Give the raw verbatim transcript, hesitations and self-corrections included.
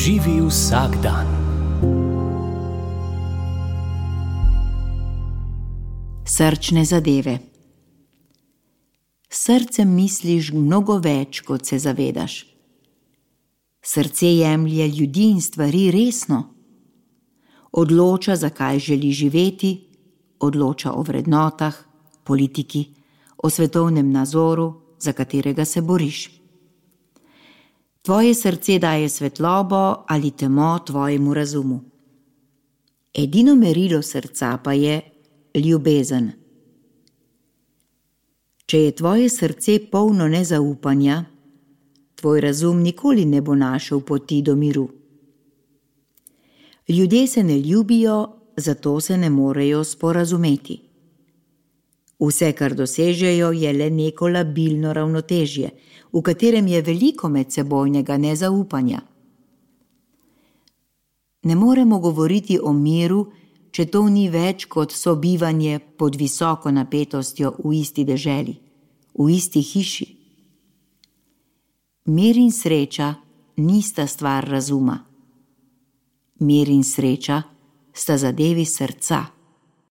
Živi vsak dan. Srčne zadeve. Srcem misliš mnogo več, kot se zavedaš. Srce jemlje ljudi in stvari resno. Odloča, zakaj želi živeti, odloča o vrednotah, politiki, o svetovnem nazoru, za katerega se boriš. Tvoje srce daje svetlobo ali temo tvojemu razumu. Edino merilo srca pa je ljubezen. Če je tvoje srce polno nezaupanja, tvoj razum nikoli ne bo našel poti do miru. Ljudje se ne ljubijo, zato se ne morejo sporazumeti. Vse, kar dosežejo, je le neko labilno ravnotežje, v katerem je veliko medsebojnega nezaupanja. Ne moremo govoriti o miru, če to ni več kot sobivanje pod visoko napetostjo v isti deželi, v isti hiši. Mir in sreča nista stvar razuma. Mir in sreča sta zadevi srca.